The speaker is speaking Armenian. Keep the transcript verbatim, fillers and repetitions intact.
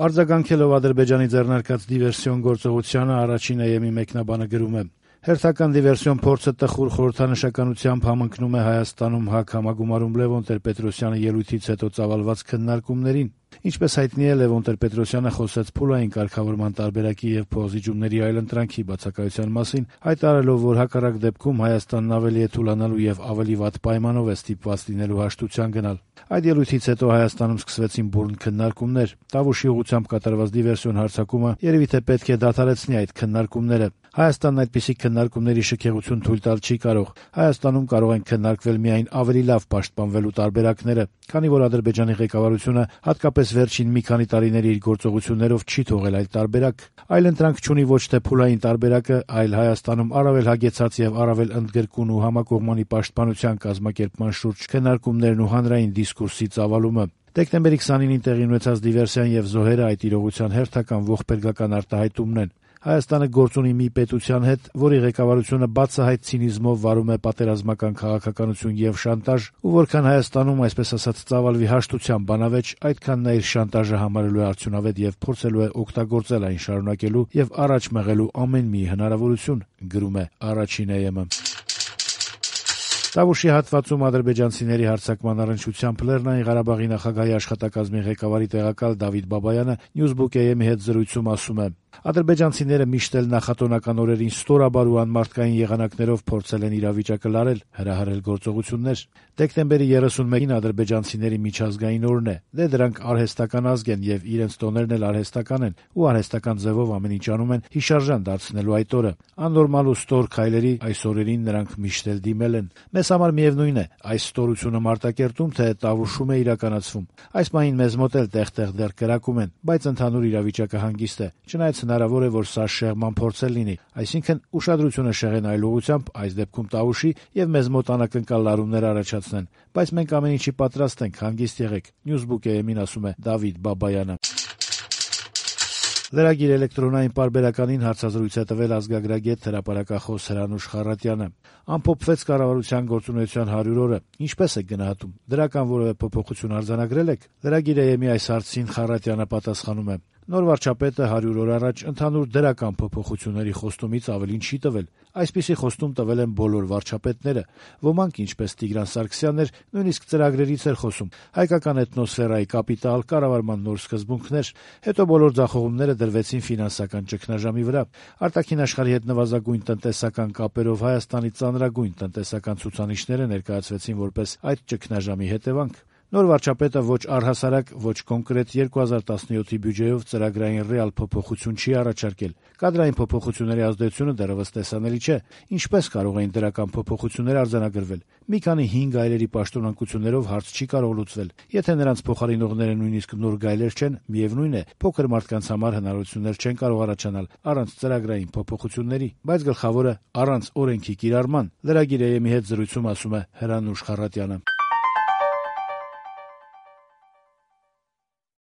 Արձագանքելով Ադրբեջանի ձեռնարկած դիվերսիոն գործողությանը առաջին Է Էմ-ի մեկնաբանը գրում է. «Հերթական դիվերսիոն փորձը տխուր խորհրդանշականությամբ համընկնում է Հայաստանում ՀԱԿ համագումարում Լևոն Տեր-Պետրոսյանի ելույթից հետո ծավալված քննարկումներին։ Ինչպես հայտնի է, Լևոն Տեր-Պետրոսյանը խոսեց փուլային կարգավորման տարբերակի եւ փոխզիջումների այլընտրանքի բացակայության մասին, հայտարարելով, որ հակառակ դեպքում Հայաստանն ավելի է թուլանալու եւ ավելի վատ պայմանով է ստիպված լինելու հաշտության գնալ։ Այդ ելույթից հետո Հայաստանում սկսվեցին բուռն քննարկումներ։ Տավուշի ուղղությամբ կատարված դիվերսիոն հարձակումը երևի թե պետք է դադարեցնի այդ քննարկումները։ Հայաստանն այդպիսի քննարկումների շքեղություն թույլ տալ չի կարող։ Հայաստանում կարող են քննարկվել միայն ավելի լավ պաշտպանվելու տարբերակները, քանի որ Ադրբեջանի ղեկավարությունը հատկապես վերջին մի քանի տարիների իր գործողություններով չի թողել այլ տարբերակ։ Այլընտրանք չունի ոչ թե փուլային տարբերակը, այլ Հայաստանում առավել հագեցած եւ առավել ընդգրկուն ու համակողմանի պաշտպանության կազմակերպման շուրջ քննարկումներն ու հանրային դիսկուրսի ծավալումը։ Դեկտեմբերի քսանինին տեղի ունեցած դիվերսիան եւ զոհերը այդ իրողության հերթական ողբերգական արտահայտումն են։ Հայաստանը գործ ունի մի պետության հետ, որի ղեկավարությունը բացահայտ ցինիզմով վարում է պատերազմական քաղաքականություն եւ շանտաժ, ու որքան Հայաստանում, այսպես ասած, ծավալվի հաշտության բանավեճ, այդքան նա իր շանտաժը համարելու է արդյունավետ եւ փորձելու է օգտագործել այն շարունակելու եւ առաջ մղելու ամեն մի հնարավորություն, գրում է առաջին Է Էմ-ը։ Տավուշի հատվածում ադրբեջանցիների հարձակման առնչությամբ Լեռնային Ղարաբաղի նախագահի աշխատակազմի ղեկավարի տեղակալ Դավիթ Բաբայանը Newsbook Է Էմ-ի հետ զրույցում ասում է. «Ադրբեջանցիները միշտ էլ նախատոնական օրերին ստորաբար ու անմարդկային եղանակներով փորձել են իրավիճակը լարել, հրահրել գործողություններ։ Դեկտեմբերի երեսունմեկին ադրբեջանցիների միջազգային օրն է։ Դե դրանք արհեստական ազգ են եւ իրենց տոներն էլ արհեստական են ու արհեստական ձևով ամեն ինչ անում են հիշարժան դարձնելու այդ օրը։ Աննորմալ ու ստոր քայլերի այս օրերին նրանք միշտ էլ դիմել են։ Մեզ համար միևնույն է, այս ստորությունը Մարտակերտում թե Տավուշում է իրականացվում։ Այս պահին մեզ մոտ էլ տեղ-տեղ դեռ կրակում են, բայց ընդհանուր իրավիճակը հանգիստ է։ Չնայած հնարավոր է, որ սա շեղման փորձ էլ լինի, այսինքն ուշադրությունը շեղեն այլ ուղղությամբ, այս դեպքում Տավուշի եւ մեզ մոտ անակնկալ լարումներ առաջացնեն, բայց մենք ամեն ինչի պատրաստ ենք, հանգիստ եղեք», Newsbook Է Էմ-ին ասում է Դավիթ Բաբայանը։ Լրագիր էլեկտրոնային պարբերականին հարցազրույց է տվել ազգագրագետ հրապարակախոս Հրանուշ Խառատյանը։ Ամփոփվեց կառավարության գործունեության հարյուր օրը։ Ինչպես եք գնահատում, դրական որևէ փոփոխություն արձանագրել եք։ Լրագիր Է Էմ-ի այս հարցին Խառատյանը պատասխանում է. «Նոր վարչապետը հարյուր օր առաջ ընդհանուր դրական փոփոխությունների խոստումից ավելին չի տվել։ Այսպիսի խոստում տվել են բոլոր վարչապետները։ Ոմանք, ինչպես Տիգրան Սարգսյանն էր, նույնիսկ ծրագրերից էր խոսում. հայկական էթնոսֆերայի կապիտալ, կառավարման նոր սկզբունքներ, հետո բոլոր ձախողումները դրվեցին ֆինանսական ճգնաժամի վրա։ Արտաքին աշխարհի հետ նվազագույն տնտեսական կապերով Հայաստանի ծանրագույն տնտեսական ցուցանիշները ներկայացվեցին որպես այդ ճգնաժամի հետևանք։ Նոր վարչապետը ոչ առհասարակ, ոչ կոնկրետ երկու հազար տասնյոթի բյուջեով ծրագրային ռեալ փոփոխություն չի առաջարկել։ Կադրային փոփոխությունների ազդեցությունը դեռևս տեսանելի չէ։ Ինչպես կարող էին դրական փոփոխություններ արձանագրվել։ Մի քանի հին գայլերի պաշտոնանկություններով հարց չի կարող լուծվել։ Եթե նրանց փոխարինողները նույնիսկ նոր գայլեր չեն, միևնույն է, փոքր մարդկանց համար հնարավորություններ չեն կարող առաջանալ առանց ծրագրային փոփոխությունների, բայց գլխավորը առանց օրենքի կիրառման», Լրագիր Է Էմ-ի հետ զրույցում ասում է Հրանուշ Խառատյանը։